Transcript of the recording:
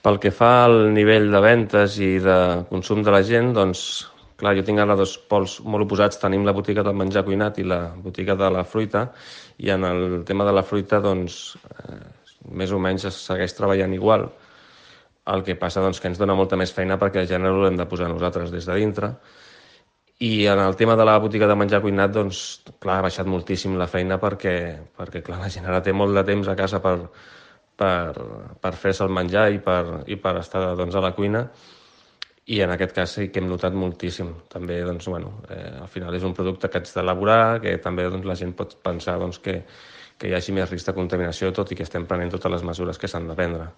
Pel que fa al nivell de ventes i de consum de la gent, doncs, clar, jo tinc ara dos pols molt oposats. Tenim la botiga del menjar cuinat i la botiga de la fruita, i en el tema de la fruita, doncs, més o menys es segueix treballant igual. El que passa doncs, que ens dona molta més feina perquè el gènere l'hem de posar nosaltres des de dintre. I en el tema de la botiga de menjar cuinat, doncs, clar, ha baixat moltíssim la feina perquè clar, la gent ara té molt de temps a casa per fer-se el menjar i per estar doncs, a la cuina, i en aquest cas sí que hem notat moltíssim. També, doncs, al final és un producte que haig d'elaborar, que també doncs, la gent pot pensar doncs, que hi hagi més risc de contaminació, tot i que estem prenent totes les mesures que s'han de prendre.